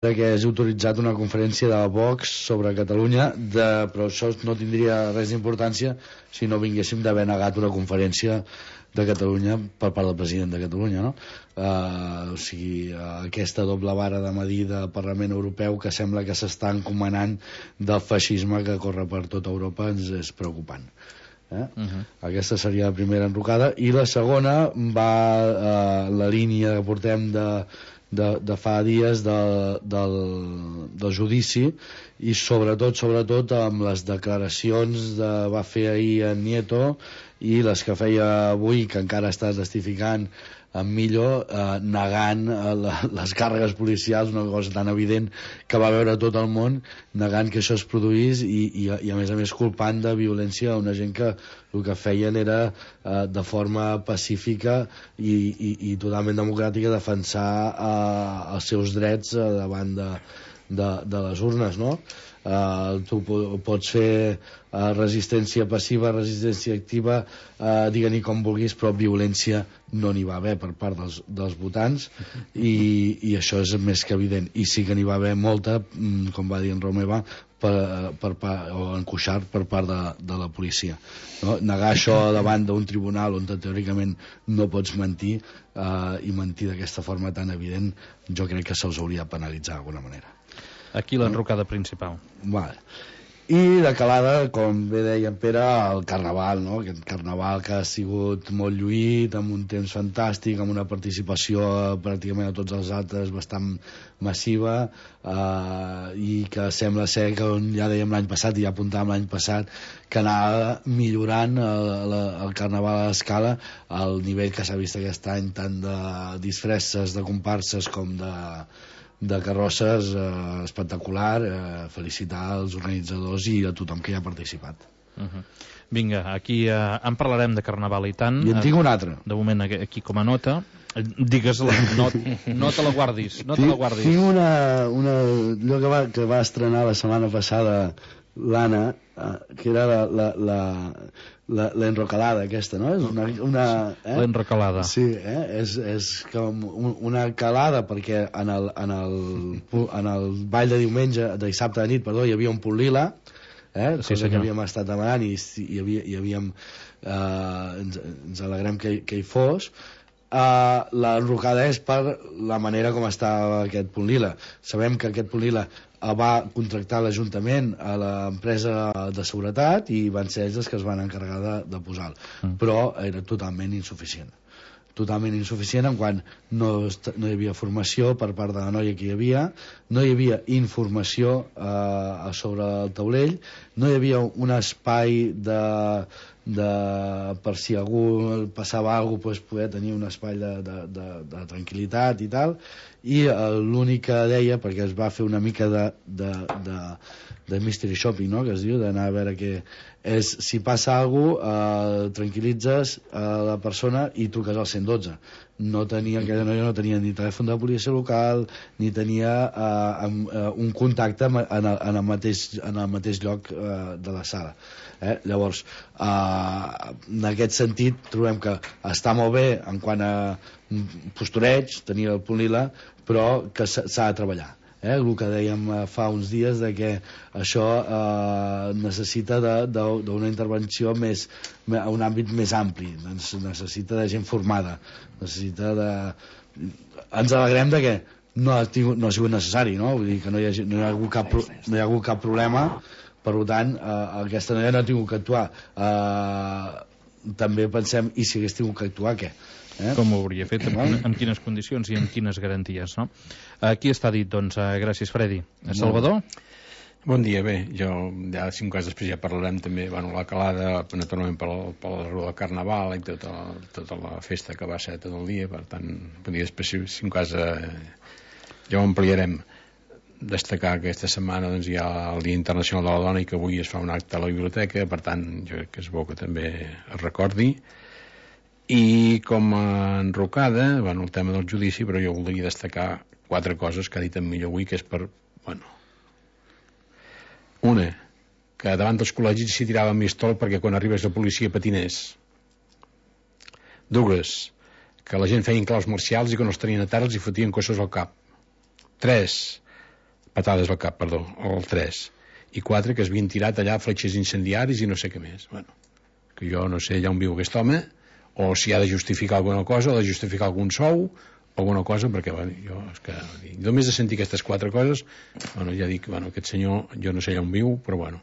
que hagi autoritzat una conferència de Vox sobre Catalunya, però això no tindria res d'importància si no vinguéssim d'haver negat una conferència de Catalunya per part del president de Catalunya, no? O sigui, aquesta doble vara de medir del Parlament Europeu que sembla que s'està encomanant del feixisme que corre per tota Europa ens és preocupant. Aquesta seria la primera enrocada, i la segona va la línia que portem de fa dies del judici, i sobretot amb les declaracions va fer ahir en Nieto i les que feia avui, que encara està testificant en Millo, negant les càrregues policials, una cosa tan evident que va veure tot el món, negant que això es produís i a més culpant de violència a una gent que el que feien era de forma pacífica i totalment democràtica defensar els seus drets davant de les urnes, no? Tu pots fer resistència passiva, resistència activa, digue-n'hi com vulguis, però violència no n'hi va haver per part dels votants, i això és més que evident, i sí que n'hi va haver molta, com va dir en Romeva, o en Cuixart, per part de la policia, no? Negar això davant d'un tribunal on teòricament no pots mentir, i mentir d'aquesta forma tan evident, jo crec que se'ls hauria de penalitzar d'alguna manera. Aquí l'enrocada principal. Vale. I de calada, com bé deia en Pere, el Carnaval, no? Aquest Carnaval que ha sigut molt lluït, amb un temps fantàstic, amb una participació pràcticament a tots els actes bastant massiva, i que sembla ser que, ja dèiem l'any passat i ja apuntàvem l'any passat, que anava millorant el Carnaval a l'escala, al nivell que s'ha vist aquest any, tant de disfresses, de comparses com de carrosses, espectacular. Felicitar els organitzadors i a tothom que hi ha participat. Vinga, aquí en parlarem de Carnaval i tant. I en tinc un altre. De moment aquí com a nota. Digues-la, no te la guardis. Tinc allò que va estrenar la setmana passada l'Anna, que era l'enrocalada aquesta, no? L'enrocalada. Sí, és com una calada, perquè en el ball de diumenge, de dissabte de nit, perdó, hi havia un punt lila, cosa que havíem estat demanant, i havíem ens alegrem que hi fos. L'enrocada és per la manera com estava aquest punt lila. Sabem que aquest punt lila va contractar l'Ajuntament a l'empresa de seguretat i van ser ells els que es van encarregar de posar-lo, però era totalment insuficient en quant no hi havia formació per part de la noia que hi havia, no hi havia informació sobre el taulell, no hi havia un espai per si algú passava alguna cosa, poder tenir un espai de tranquil·litat i tal. I l'únic que deia, perquè es va fer una mica de mystery shopping, no?, que es diu, d'anar a veure què és, si passa alguna cosa, tranquil·litzes la persona i truques al 112. Aquella noia no tenia ni telèfon de policia local, ni tenia un contacte en el mateix lloc de la sala. Llavors, en aquest sentit, trobem que està molt bé en quant a postureig, tenir el punt lila, però que s'ha de treballar. El que dèiem fa uns dies, de que això necessita d'una intervenció a un àmbit més ampli, necessita de gent formada, ens alegrem de que no ha sigut necessari, no? Vull dir que no hi ha hagut cap problema. Per tant, aquesta noia no ha tingut que actuar. També pensem, i si hagués tingut que actuar, què? Com ho hauria fet, en quines condicions i en quines garanties, no? Aquí està dit, doncs, gràcies, Freddy. Salvador? Bon dia, bé, jo ja 5 anys després ja parlarem també, la calada, naturalment per la rua del Carnaval i tota la festa que va ser tot el dia, per tant, després 5 anys ja ho ampliarem. Destacar que aquesta setmana hi ha el Dia Internacional de la Dona i que avui es fa un acte a la biblioteca, per tant, jo crec que és bo que també es recordi. I com a enrocada, el tema del judici, però jo voldria destacar 4 coses que ha dit en Millor avui, que és una, que davant dels col·legis s'hi tirava amb mistol perquè quan arribés la policia patinés. 2, que la gent feien claus marcials i quan els tenien a terra els hi fotien cossos al cap. 3, patades al cap, perdó, el 3, i 4 que es havien tirat allà fletxes incendiaris i no sé què més. Bueno, que jo no sé allà on viu aquest home, o si ha de justificar alguna cosa, o de justificar algun sou, alguna cosa, perquè bueno, jo és que només de sentir aquestes 4 coses, bueno, ja dic, bueno, aquest senyor jo no sé allà on viu, però bueno,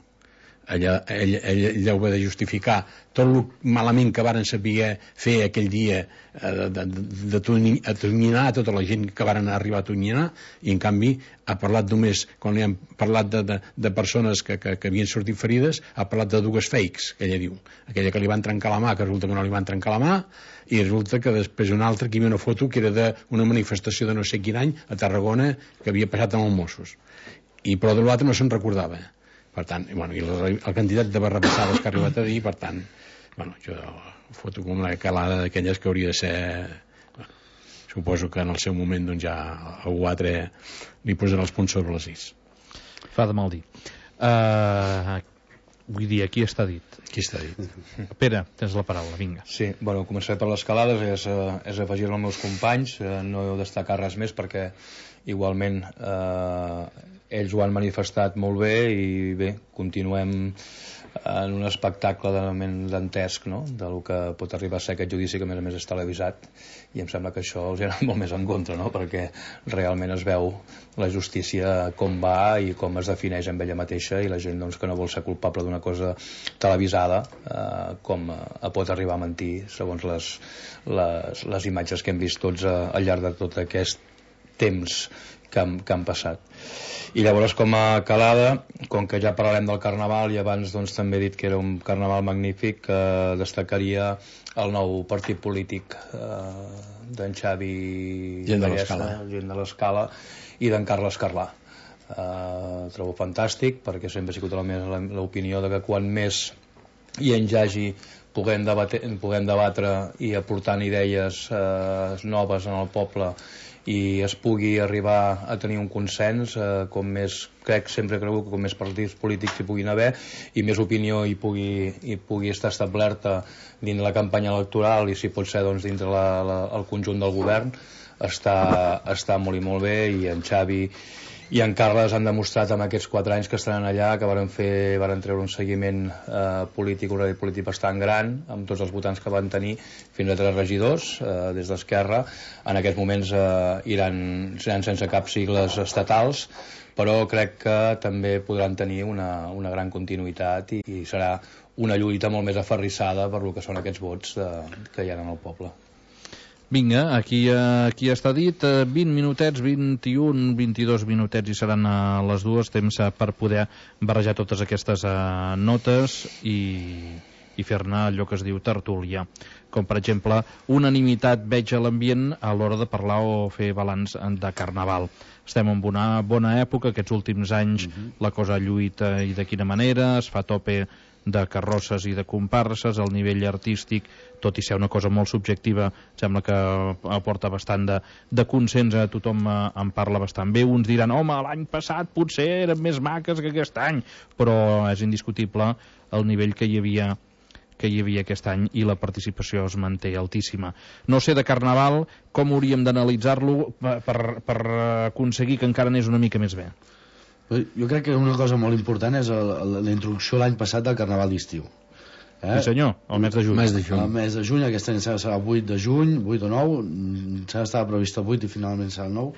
ell deu haver de justificar tot el malament que varen saber fer aquell dia, de atonyinar tota la gent que varen arribar a atonyinar, i en canvi ha parlat només, quan li han parlat de persones que havien sortit ferides, ha parlat de 2 fakes, que ella diu, aquella que li van trencar la mà, que resulta que no li van trencar la mà, i resulta que després una altra que hi havia una foto que era d'una manifestació de no sé quin any a Tarragona que havia passat amb els Mossos, però de l'altre no se'n recordava. Per tant, bueno, i la quantitat de barrabassades que ha arribat a dir, per tant, bueno, jo foto com una calada d'aquelles que hauria de ser... Bueno, suposo que en el seu moment doncs, ja algú altre li posarà els punts sobre les is. Fa de mal dir. Vull dir, aquí està dit. Aquí està dit. Pere, tens la paraula, vinga. Sí, bueno, començaré per les calades, és afegir-me als meus companys, no destacar res més perquè igualment ells ho han manifestat molt bé i bé, continuem en un espectacle dantesc, no?, del que pot arribar a ser aquest judici, que a més és televisat, i em sembla que això els ha anat molt més en contra, no?, perquè realment es veu la justícia com va i com es defineix amb ella mateixa, i la gent doncs, que no vol ser culpable d'una cosa televisada, com pot arribar a mentir segons les imatges que hem vist tots al llarg de tot aquest temps que han passat. I llavors, com a calada, com que ja parlarem del Carnaval i abans doncs, també he dit que era un Carnaval magnífic, destacaria el nou partit polític d'en Xavi Gent de l'Escala i d'en Carles Carlà. Trobo fantàstic, perquè sempre ha sigut l'opinió de que quan més hi hagi puguem debatre i aportant idees noves en el poble i es pugui arribar a tenir un consens, com més, sempre creu que com més partits polítics hi puguin haver i més opinió hi pugui estar establerta dins la campanya electoral i si pot ser doncs, dins el conjunt del govern, està molt i molt bé, i en Xavi i en Carles han demostrat en aquests 4 anys que estan allà que varen treure un seguiment polític, un rèdit polític bastant gran, amb tots els votants que van tenir, fins a 3 regidors des d'Esquerra. En aquests moments seran sense cap sigles estatals, però crec que també podran tenir una gran continuïtat i serà una lluita molt més aferrissada per lo que són aquests vots que hi ha en el poble. Vinga, aquí està dit, 20 minutets, 21, 22 minutets i seran les 2, temps per poder barrejar totes aquestes notes i fer-ne allò que es diu tertúlia. Com, per exemple, unanimitat veig a l'ambient a l'hora de parlar o fer balanç de Carnaval. Estem en una bona època, aquests últims anys la cosa lluita i de quina manera, es fa tope de carrosses i de comparses, el nivell artístic, tot i ser una cosa molt subjectiva, sembla que aporta bastant de consens, tothom en parla bastant bé. Uns diran, home, l'any passat potser eren més maques que aquest any, però és indiscutible el nivell que hi havia aquest any i la participació es manté altíssima. No sé, de Carnaval, com hauríem d'analitzar-lo per aconseguir que encara anés una mica més bé? Jo crec que una cosa molt important és la introducció l'any passat del Carnaval d'estiu. Sí senyor, el mes de juny. El mes de juny, aquest any serà 8 de juny, 8 o 9, estava previst el 8 i finalment serà el 9,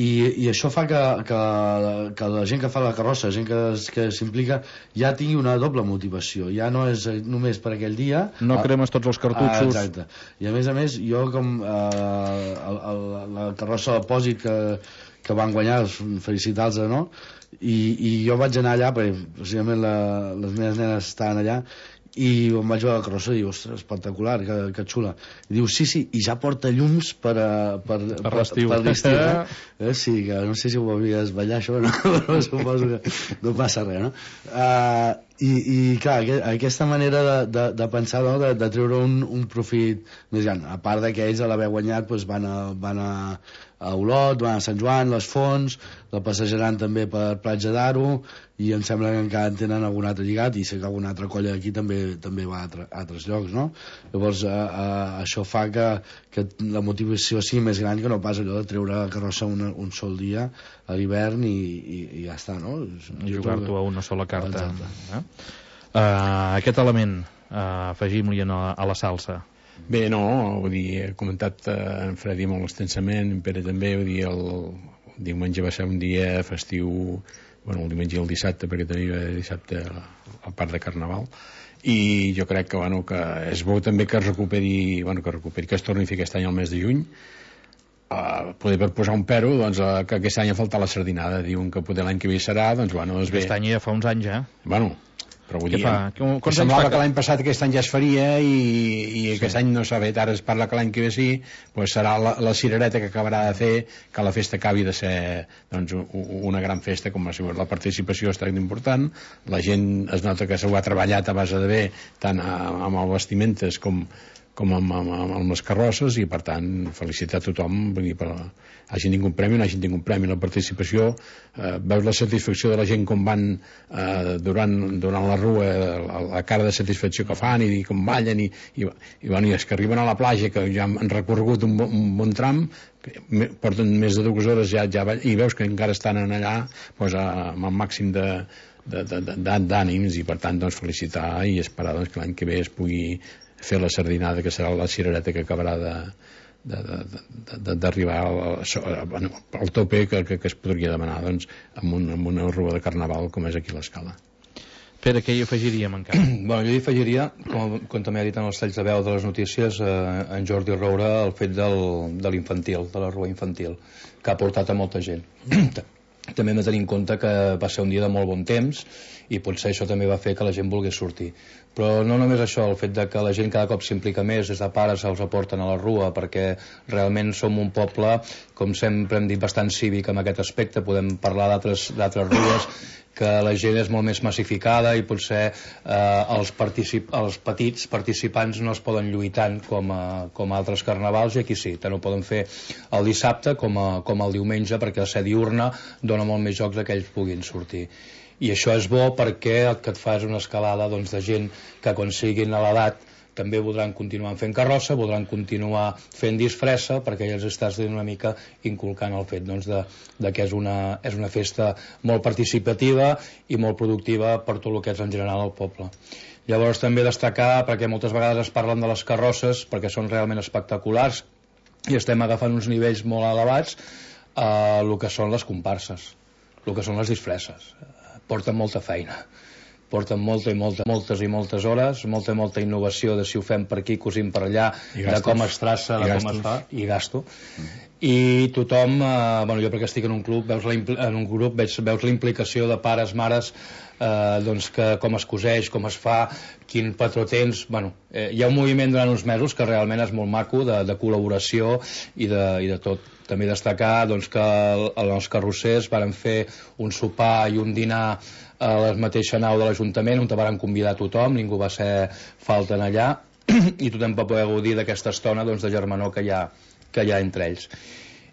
i això fa que la gent que fa la carrossa, la gent que s'implica, ja tingui una doble motivació, ja no és només per aquell dia. No cremes tots els cartutxos. Exacte. I a més, jo com la carrossa del Pòsit que van guanyar, felicitar-los, no? I jo vaig anar allà perquè precisament les meves nenes estaven allà i em vaig veure la carrossa i diu, ostres, espectacular, que xula. I diu, sí, i ja porta llums per l'estiu. Sí, que no sé si ho havies ballar això, no? Però suposo que no passa res, no? I clar, aquesta manera de pensar, no? de treure un profit més gran, a part que ells a l'haver guanyat doncs van a Olot, van a Sant Joan, les Fonts, la passejaran també per Platja d'Aro, i em sembla que encara en tenen algun altre lligat, i sé que alguna altra colla d'aquí també va a altres llocs, no? Llavors això fa que la motivació sigui més gran que no pas allò de treure la carrossa un sol dia a l'hivern i ja està, no? Jugar-t'ho a una sola carta. Aquest element, afegim-li a la salsa. Bé, no, vull dir, he comentat en Fredi molt extensament, en Pere també, vull dir, el diumenge va ser un dia festiu, bueno, el diumenge i el dissabte, perquè tenia dissabte a part de Carnaval, i jo crec que, bueno, que és bo també que es recuperi, que es torni a fer aquest any al mes de juny. Poder per posar un pero, doncs, que aquest any ha faltat la sardinada, diuen que poder l'any que ve serà, doncs, bueno, és bé. Aquest any ja fa uns anys, Bueno, però vull dir, semblava que l'any passat aquest any ja es faria i aquest any no s'ha fet, ara es parla que l'any que ve sí, doncs serà la cirereta que acabarà de fer que la festa acabi de ser, doncs, una gran festa, com la participació està important, la gent es nota que s'ho ha treballat a base de bé, tant amb els vestimentes com amb les carrosses, i per tant felicitar a tothom, vull dir, hagin tingut un premi o no hagin tingut un premi. La participació, veus la satisfacció de la gent com van durant la rua, la cara de satisfacció que fan i com ballen i és que arriben a la platja, que ja han recorregut un bon tram, porten més de 2 hores ja i veus que encara estan allà, doncs, amb el màxim d'ànims, i per tant, doncs, felicitar i esperar, doncs, que l'any que ve es pugui fer la sardinada, que serà la cirereta que acabarà d'arribar al tope que es podria demanar, doncs, amb una rua de Carnaval com és aquí a l'Escala. Pere, què hi afegiríem encara? Bueno, jo hi afegiria, com també ha dit en els talls de veu de les notícies, en Jordi Roura, el fet de l'infantil, de la rua infantil, que ha portat a molta gent. També hem de tenir en compte que va ser un dia de molt bon temps i potser això també va fer que la gent volgués sortir. Però no només això, el fet de que la gent cada cop s'implica més, des de pares els aporten a la rua, perquè realment som un poble, com sempre hem dit, bastant cívic en aquest aspecte. Podem parlar d'altres rues que la gent és molt més massificada i potser els petits participants no es poden lluir tant com altres carnavals, i aquí sí, tant ho poden fer el dissabte com el diumenge, perquè la ser diurna dona molt més jocs que ells puguin sortir. I això és bo perquè el que et fa és una escalada, doncs, de gent que quan siguin a l'edat també voldran continuar fent carrossa, voldran continuar fent disfressa, perquè ja els estàs una mica inculcant el fet, doncs, de que és una festa molt participativa i molt productiva per tot el que és en general el poble. Llavors també destacar, perquè moltes vegades es parlen de les carrosses, perquè són realment espectaculars i estem agafant uns nivells molt elevats, el que són les comparses, el que són les disfresses. Porten molta feina, porten moltes hores, molta innovació de si ho fem per aquí, cosim per allà, de com es traça, de com es fa, i gasto. I tothom, jo perquè estic en un club, veus la implicació de pares, mares, doncs, que com es coseix, com es fa, quin patró tens. Hi ha un moviment durant uns mesos que realment és molt maco, de col·laboració i de tot. També destacar, doncs, que els carrossers varen fer un sopar i un dinar a la mateixa nau de l'Ajuntament, on te varen convidar a tothom, ningú va ser falta allà, i tothom va poder gaudir d'aquesta estona, doncs, de germanor que hi ha entre ells.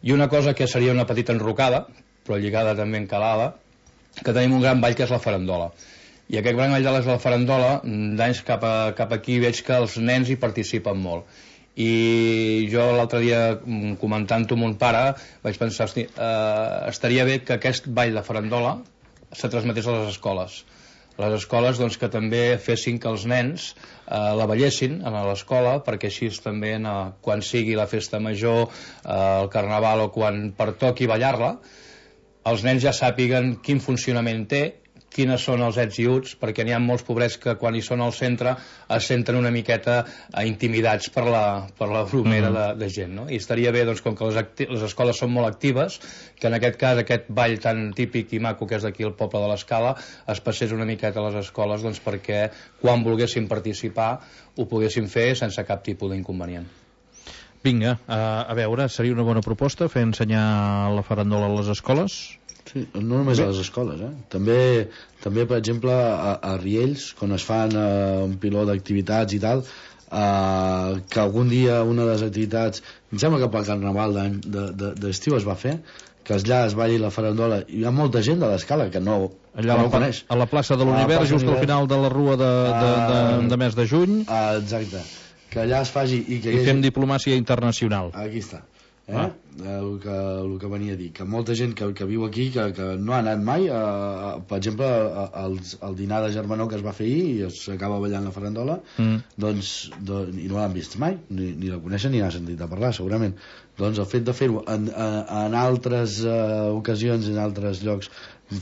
I una cosa que seria una petita enrocada, però lligada també encalada, que tenim un gran ball que és la farandola. I aquest gran ball de la farandola, d'anys cap aquí veig que els nens hi participen molt. I jo l'altre dia, comentant-ho amb mon pare, vaig pensar, estaria bé que aquest ball de farandola se transmetés a les escoles. Les escoles, doncs, que també fessin que els nens la ballessin a l'escola, perquè així també quan sigui la festa major, el carnaval, o quan pertoqui ballar-la, els nens ja sàpiguen quin funcionament té, quines són els ets i uts, perquè n'hi ha molts pobrets que quan hi són al centre es senten una miqueta intimidats per la bromera de gent, no? I estaria bé, doncs, com que les escoles són molt actives, que en aquest cas aquest ball tan típic i maco que és d'aquí al poble de l'Escala es passés una miqueta a les escoles, doncs, perquè quan volguessin participar ho poguessin fer sense cap tipus d'inconvenient. Vinga, a veure, seria una bona proposta fer ensenyar la farandola a les escoles? Sí, no només a les escoles, també, per exemple, a Riells, quan es fan un piló d'activitats i tal, que algun dia una de les activitats, em sembla que pel carnaval d'estiu es va fer, que allà es balli la farandola, i hi ha molta gent de l'Escala que no ho coneix. A la plaça de l'Univers, just al final de la rua de mes de juny. Exacte, que allà es faci... I fem diplomàcia internacional. Aquí està. el que venia a dir, que molta gent que viu aquí que no ha anat mai per exemple al dinar de germanor que es va fer ahir i s'acaba ballant la farandola doncs, i no l'han vist mai ni la coneixen ni n'ha sentit a parlar segurament, doncs el fet de fer-ho en altres ocasions en altres llocs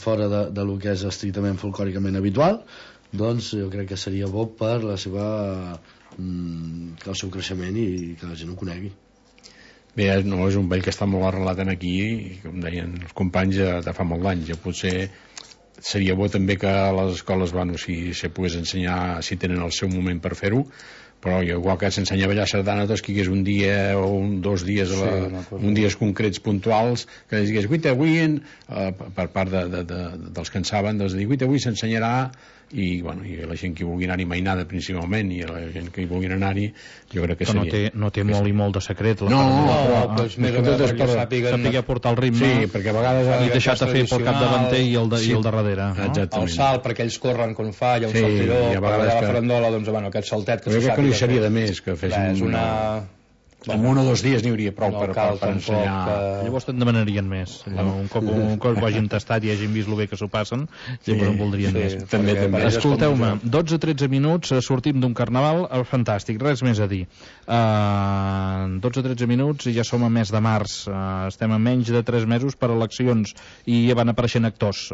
fora de lo que és estrictament folclòricament habitual, doncs jo crec que seria bo per la seva el seu creixement i que la gent ho conegui. Bé, no, és un ball que està molt arrelat aquí i com deien els companys de fa molt d'anys. Potser seria bo també que a les escoles si se pogués ensenyar, si tenen el seu moment per fer-ho, però igual que s'ensenya a ballar sardana doncs que hi hagués un dia o dos dies un dies concrets puntuals que digués, avui per part dels que en saben doncs dir, avui s'ensenyarà i la gent que vulgui anar-hi mainada principalment i la gent que hi vulgui anar-hi jo crec que seria... No té molt i molt de secret però més o menys per saber portar el ritme sí, perquè a vegades i deixar-te fer pel capdavanter i el darrere el salt perquè ells corren quan fa hi ha un saltiró, per ballar la farandola doncs aquest saltet que se sàpiga que li seria de més que fessin en 1 o 2 dies n'hi hauria prou per ensenyar. Llavors te'n demanarien més. Un cop ho hagin tastat i hagin vist el bé que s'ho passen, llavors en voldrien més. Escolteu-me, 12-13 minuts, sortim d'un carnaval fantàstic, res més a dir. 12-13 minuts i ja som a mes de març. Estem a menys de 3 mesos per eleccions i ja van apareixent actors.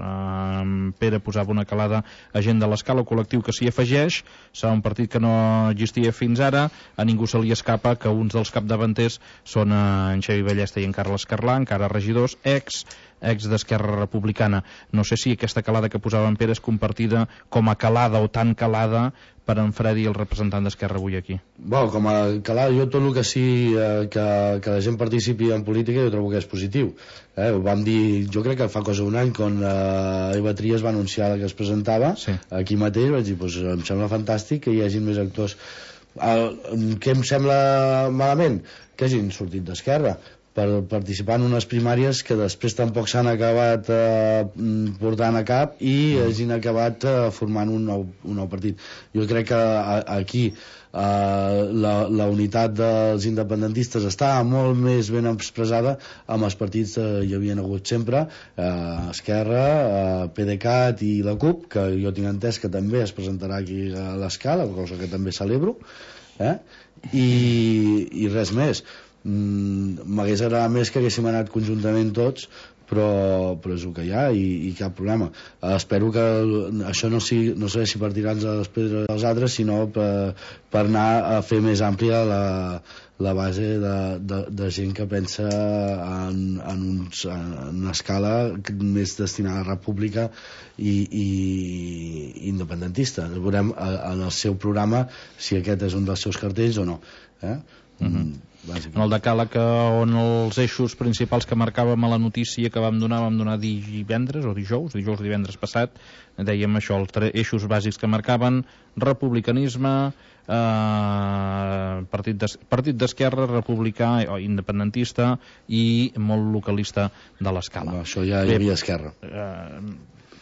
Pere posava una calada a gent de l'Escala, col·lectiu que s'hi afegeix. Serà un partit que no existia fins ara. A ningú se li escapa que uns dels capdavanters són en Xavi Ballesta i en Carles Carlà, encara regidors, ex d'Esquerra Republicana. No sé si aquesta calada que posava en Pere és compartida com a calada o tan calada per en Fredi, el representant d'Esquerra avui aquí. Com a calada, jo tot el que sí que la gent participi en política jo trobo que és positiu. Ho vam dir, jo crec que fa cosa un any quan Eva Trias va anunciar que es presentava aquí mateix, vaig dir, em sembla fantàstic que hi hagi més actors. Què em sembla malament? Que hagin sortit d'Esquerra per participar en unes primàries que després tampoc s'han acabat portant a cap i hagin acabat formant un nou partit. Jo crec que aquí la unitat dels independentistes està molt més ben expressada amb els partits que hi havien hagut sempre, Esquerra, PDeCAT i la CUP, que jo tinc entès que també es presentarà aquí a l'Escala, cosa que també celebro, i res més. M'hagués agradat més que haguéssim anat conjuntament tots, però és el que hi ha i cap problema. Espero que això no serveixi per tirar-nos a les pedres dels altres, sinó per anar a fer més àmplia la base de gent que pensa en una escala més destinada a república i independentista. Veurem en el seu programa si aquest és un dels seus cartells o no. En el decàleg on els eixos principals que marcàvem a la notícia que vam donar divendres o divendres passat, dèiem això, els eixos bàsics que marcaven: republicanisme, partit d'esquerra, republicà o independentista i molt localista de l'Escala. Això ja hi havia Esquerra.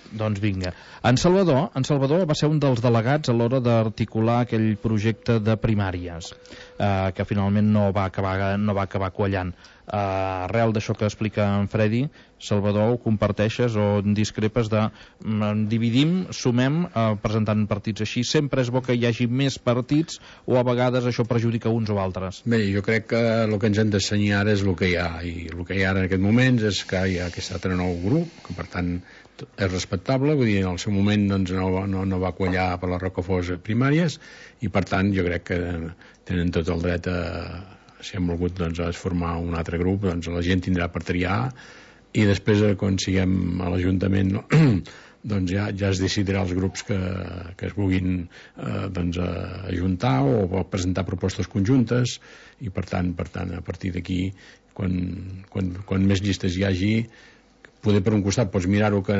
Doncs vinga. En Salvador va ser un dels delegats a l'hora d'articular aquell projecte de primàries que finalment no va acabar quallant. Arrel d'això que explica en Fredi, Salvador, ho comparteixes o discrepes de dividim, sumem, presentant partits així? Sempre és bo que hi hagi més partits o a vegades això perjudica uns o altres? Bé, jo crec que el que ens hem d'ensenyar ara és el que hi ha, i el que hi ha ara en aquest moment és que hi ha aquest altre nou grup, que per tant és respectable, vull dir, en el seu moment doncs, no va quallar per les Rocafors primàries i per tant jo crec que tenen tot el dret si han volgut doncs, formar un altre grup, doncs la gent tindrà per triar i després quan siguem a l'Ajuntament doncs ja es decidirà els grups que es vulguin ajuntar o presentar propostes conjuntes i per tant a partir d'aquí quan més llistes hi hagi poder per un costat pots mirar-ho que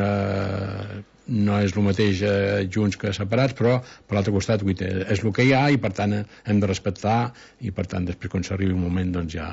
no és el mateix junts que separats, però per l'altre costat és el que hi ha i per tant hem de respectar i per tant després quan s'arribi un moment doncs ja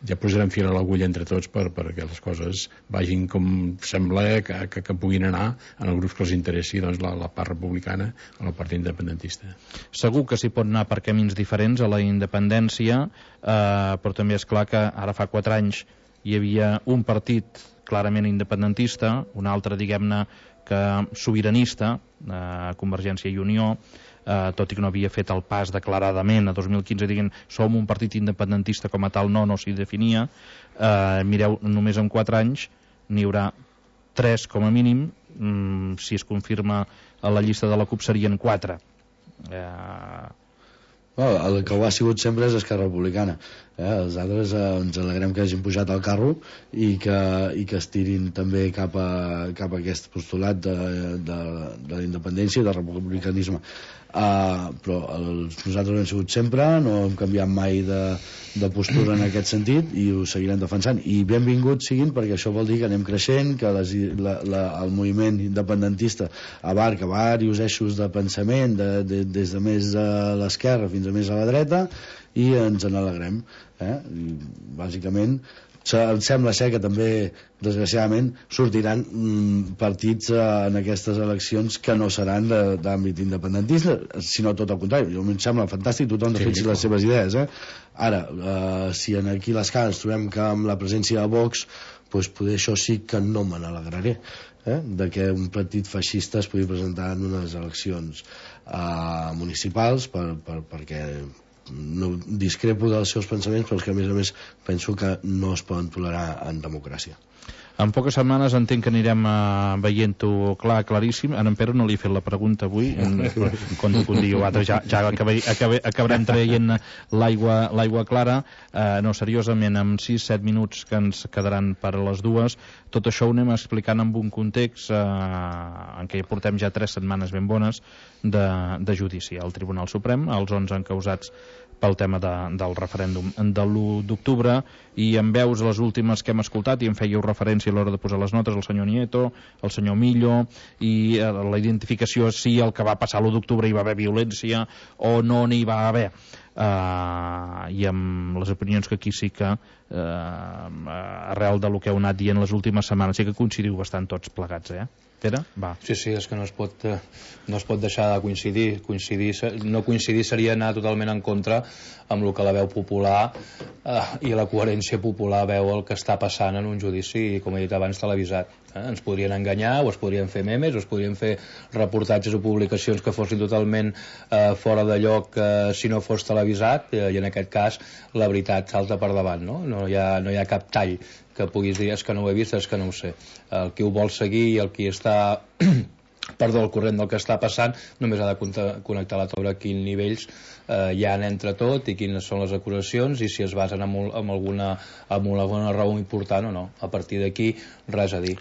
ja posarem fil a l'agulla entre tots perquè les coses vagin com sembla que puguin anar en els grups que els interessi, doncs la part republicana o el partit independentista. Segur que s'hi pot anar per camins diferents a la independència, però també és clar que ara fa 4 anys hi havia un partit clarament independentista, un altre, diguem-ne, que sobiranista, Convergència i Unió, tot i que no havia fet el pas declaradament a 2015 dient som un partit independentista com a tal, no s'hi definia. Mireu, només en 4 anys n'hi haurà 3 com a mínim, si es confirma a la llista de la CUP serien 4. El que ho ha sigut sempre és Esquerra Republicana. Els altres ens alegrem que hagin pujat al carro i que es tirin també cap a aquest postulat de la independència i del republicanisme. Però nosaltres hem sigut sempre, no hem canviat mai de postura en aquest sentit i ho seguirem defensant, i benvinguts siguin, perquè això vol dir que anem creixent, que el moviment independentista abarca diversos eixos de pensament, des de més a l'esquerra fins a més a la dreta, i ens en alegrem. I bàsicament em sembla ser que també desgraciadament sortiran partits en aquestes eleccions que no seran d'àmbit independentista, sinó tot el contrari. Jo em sembla fantàstic tothom defensi les seves idees. Ara, si aquí a l'escala ens trobem que amb la presència de Vox, doncs poder això sí que no me n'alegraré, de que un partit feixista es pugui presentar en unes eleccions municipals, perquè no discrepo dels seus pensaments, però és que a més penso que no es poden tolerar en democràcia. En poques setmanes entenc que anirem veient-ho claríssim. A en Pere no li he fet la pregunta avui, quan un dia o altre ja acabarem traient l'aigua clara. No, seriosament, amb 6-7 minuts que ens quedaran per a les 2, tot això ho anem explicant amb un context en què portem ja 3 setmanes ben bones de judici al Tribunal Suprem, els 11 encausats pel tema del referèndum de l'1 d'octubre, i en veus les últimes que hem escoltat, i en fèieu referència a l'hora de posar les notes, el senyor Nieto, el senyor Millo, i la identificació si el que va passar l'1 d'octubre hi va haver violència o no n'hi va haver, i amb les opinions que aquí sí que arrel del que heu anat dient les últimes setmanes sí que coincidiu bastant tots plegats, Pere? Va. Sí, és que no es pot deixar de coincidir. No coincidir seria anar totalment en contra amb el que la veu popular i la coherència popular veu el que està passant en un judici, com he dit abans, televisat. Ens podrien enganyar, o es podrien fer memes, o es podrien fer reportatges o publicacions que fossin totalment fora de lloc si no fos televisat, i en aquest cas la veritat salta per davant, no hi ha cap tall que puguis dir és que no ho he vist, és que no ho sé. El qui ho vol seguir i el qui està al corrent del que està passant només ha de connectar la taula a quins nivells hi ha entre tot i quines són les acusacions i si es basen en alguna raó important o no. A partir d'aquí res a dir,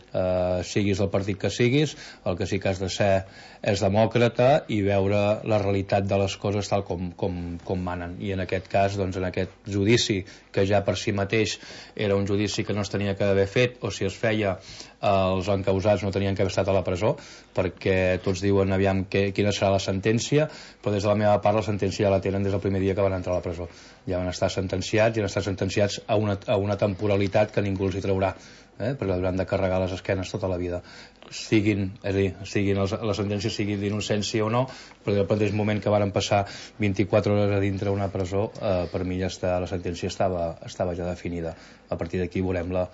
siguis del partit que siguis, el que sí que has de ser és demòcrata i veure la realitat de les coses tal com manen, i en aquest cas, doncs en aquest judici que ja per si mateix era un judici que no es tenia que haver fet, o si es feia els encausats no tenien que haver estat a la presó, perquè tots diuen aviam quina serà la sentència, però des de la meva part la sentència ja la tenen des del primer dia que van entrar a la presó. Ja van estar sentenciats i han estat sentenciats a una temporalitat que ningú els hi traurà, perquè hauran de carregar les esquenes tota la vida. La sentència sigui d'innocència o no, però al mateix moment que van passar 24 hores a dintre una presó, per mi ja la sentència estava ja definida. A partir d'aquí veurem la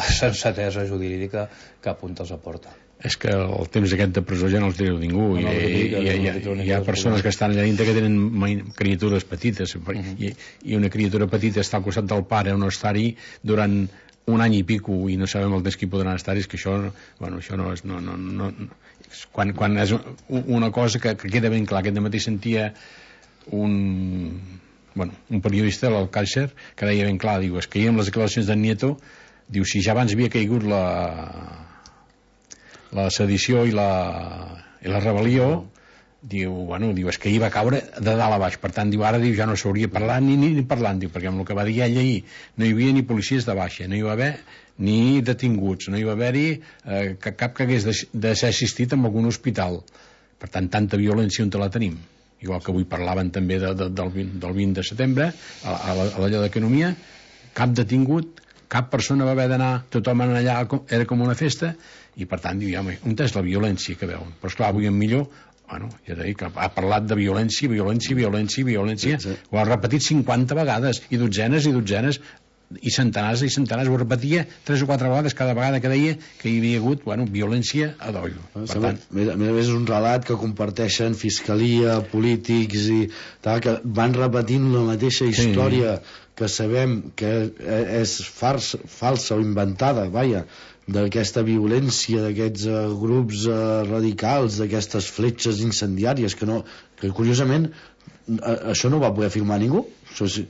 sensatesa jurídica que apunta els aporta. És que el temps aquest de presó ja no els diu ningú, hi ha persones que estan allà dintre que tenen criatures petites, i una criatura petita està al costat del pare o no estar-hi durant un any i pico i no sabem el temps que hi podran estar, és que això no és quan és una cosa que queda ben clar. Aquest dematí sentia un periodista, l'Alcàcer, que deia ben clar, diu, és que ahir amb les declaracions d'en Nieto, diu, si ja abans havia caigut la sedició i la rebel·lió, diu, és que ahir va caure de dalt a baix, per tant, diu, ara ja no s'hauria parlat ni parlant, diu, perquè amb el que va dir ell ahir no hi havia ni policies de baixa, no hi va haver ni detinguts, no hi va haver-hi cap que hagués de ser assistit en algun hospital. Per tant, tanta violència on te la tenim. Igual que avui parlaven també del 20 de setembre a l'allò d'economia, cap detingut, cap persona va haver d'anar, tothom anava allà, era com una festa, i per tant, diu, home, on és la violència que veuen? Però esclar, avui en Millor, bueno, ja t'he dit que ha parlat de violència, ho ha repetit 50 vegades, i dotzenes, i centenars, ho repetia 3 o 4 vegades cada vegada que deia que hi havia hagut, violència a d'ollo. Per tant, a més és un relat que comparteixen fiscalia, polítics i tal, que van repetint la mateixa història que sabem que és falsa o inventada, d'aquesta violència, d'aquests grups radicals, d'aquestes fletxes incendiàries que curiosament això no ho va poder filmar ningú,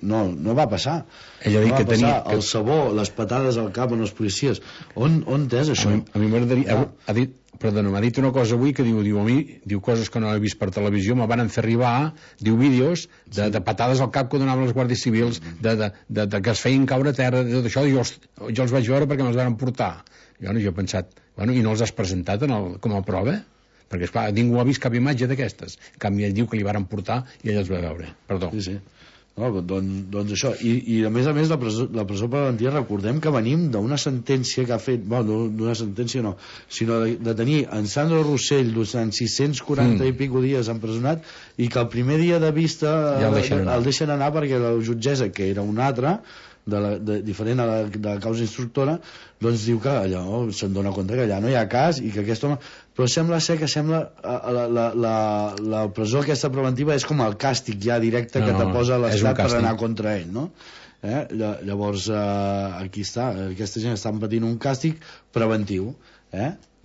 no va passar. Ella no va passar el sabó, les patades al cap en els policies. On és això? A mi m'agradaria... M'ha dit una cosa avui que diu coses que no he vist per televisió, me van fer arribar, vídeos de patades al cap que donaven els guàrdies civils, de que es feien caure a terra, de tot això, jo els vaig veure perquè me'ls van portar. Jo he pensat, i no els has presentat com a prova? Perquè, esclar, ningú ha vist cap imatge d'aquestes. En canvi, ell diu que li van portar i ell els va veure. Perdó. Sí. No, doncs això, i a més la presó preventiva, recordem que venim d'una sentència que ha fet, d'una sentència no, sinó de tenir en Sandro Rossell durant 640 i pico dies empresonat, i que el primer dia de vista ja el deixen anar perquè la jutgessa, que era una altra, diferent a la causa instructora, doncs diu que allò se'n dona compte que allà no hi ha cas i que aquest home... Però sembla ser que la presó aquesta preventiva és com el càstig ja directe que te posa l'Estat per anar contra ell, no? Llavors aquí està, aquesta gent està patint un càstig preventiu,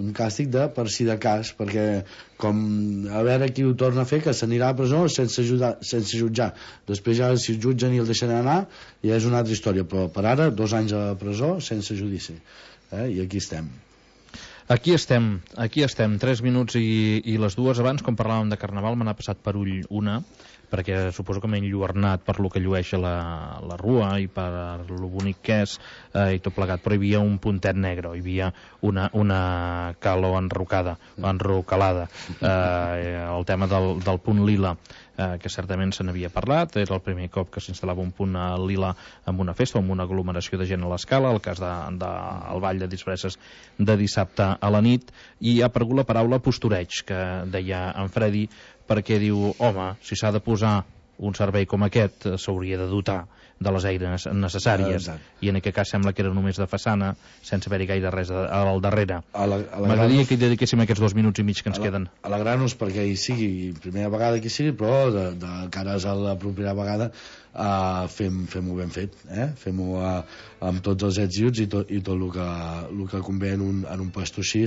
un càstig de per si de cas, perquè com a veure qui ho torna a fer, que s'anirà a la presó sense jutjar, després ja si el jutgen i el deixen anar ja és una altra història, però per ara 2 anys a la presó sense judici, i aquí estem. Aquí estem, 3 minuts i les 2. Abans, com parlàvem de Carnaval, me n'ha passat per ull una, perquè suposo que m'he enlluernat per lo que llueix la rua i per lo bonic que és i tot plegat, però hi havia un puntet negre, hi havia una calor enrocalada, el tema del punt lila, que certament se n'havia parlat, era el primer cop que s'instal·lava un punt lila en una festa o en una aglomeració de gent a l'escala, el cas del ball de disfresses de dissabte a la nit, i ha aparegut la paraula postureig, que deia en Freddy, perquè diu, home, si s'ha de posar un servei com aquest, s'hauria de dotar de les eines necessàries, i en aquest cas sembla que era només de façana, sense haver-hi gaire res al darrere. M'agradaria que hi dediquéssim aquests 2 minuts i mig que ens queden. Alegrar-nos perquè hi sigui primera vegada que hi sigui, però de cares a la propera vegada fem-ho ben fet, fem-ho amb tots els ets i uts i tot el que convé en un puesto així,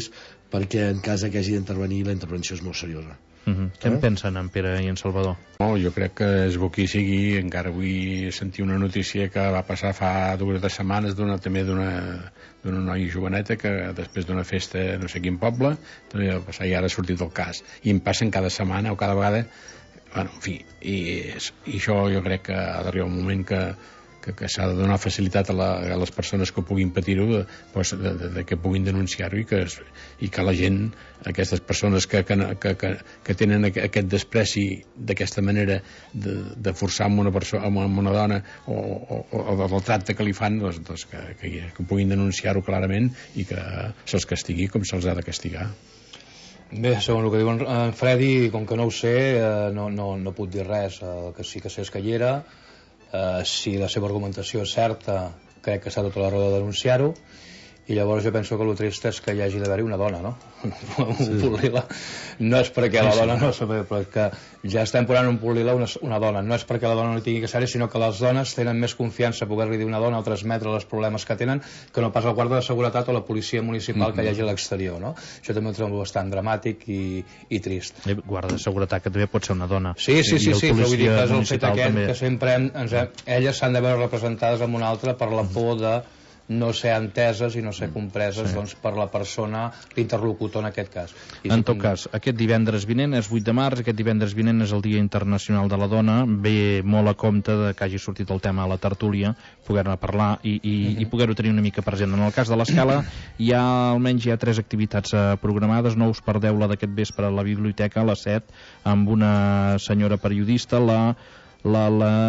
perquè en cas que hagi d'intervenir la intervenció és molt seriosa. Què en pensen en Pere i en Salvador? Jo crec que és bo que hi sigui. Encara vull sentir una notícia que va passar fa 2 setmanes també d'una noia joveneta que després d'una festa no sé quin poble també va passar i ara ha sortit el cas, i em passen cada setmana o cada vegada, en fi, i això jo crec que ha d'arribar un moment que s'ha de donar facilitat a les persones que puguin patir-ho, que puguin denunciar-ho i que la gent, aquestes persones que tenen aquest despreci d'aquesta manera de forçar amb una dona o del tracte que li fan, que puguin denunciar-ho clarament i que se'ls castigui com se'ls ha de castigar. Bé, segons el que diu en Freddy, com que no ho sé, no puc dir res. El que sí que sé és que hi era. Si la seva argumentació és certa, crec que s'ha tota la raó de denunciar-ho, i llavors jo penso que el trist és que hi hagi d'haver-hi una dona, no? Un punt lila. No és perquè la dona no sabe, però que ja estem posant un punt lila una dona. No és perquè la dona no tingui que ser-hi, sinó que les dones tenen més confiança a poder-li dir una dona o transmetre els problemes que tenen que no pas el guarda de seguretat o la policia municipal que hi hagi a l'exterior, no? Això també ho trobo bastant dramàtic i trist. Guarda de seguretat que també pot ser una dona. Sí, però vull dir que és el fet aquest que sempre elles s'han de veure representades amb una altra per la por de no ser enteses i no ser compreses per la persona, l'interlocutor en aquest cas. En tot cas, aquest divendres vinent és 8 de març, aquest divendres vinent és el Dia Internacional de la Dona, ve molt a compte que hagi sortit el tema a la tertúlia, poder-ne parlar i poder-ho tenir una mica present. En el cas de l'Escala almenys hi ha 3 activitats programades, no us perdeu la d'aquest vespre a la biblioteca a les 7, amb una senyora periodista, la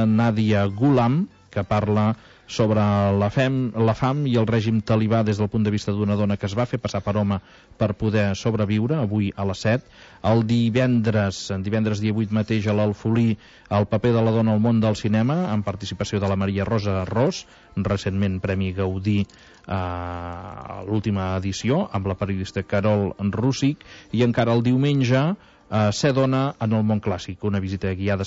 Nàdia Gulam, que parla sobre la fam i el règim talibà des del punt de vista d'una dona que es va fer passar per home per poder sobreviure, avui a les 7. El divendres dia 8 mateix, a l'Alfolí, el paper de la dona al món del cinema, amb participació de la Maria Rosa Ros, recentment Premi Gaudí a l'última edició, amb la periodista Carol Rússic, i encara el diumenge Ser dona en el món clàssic, una visita guiada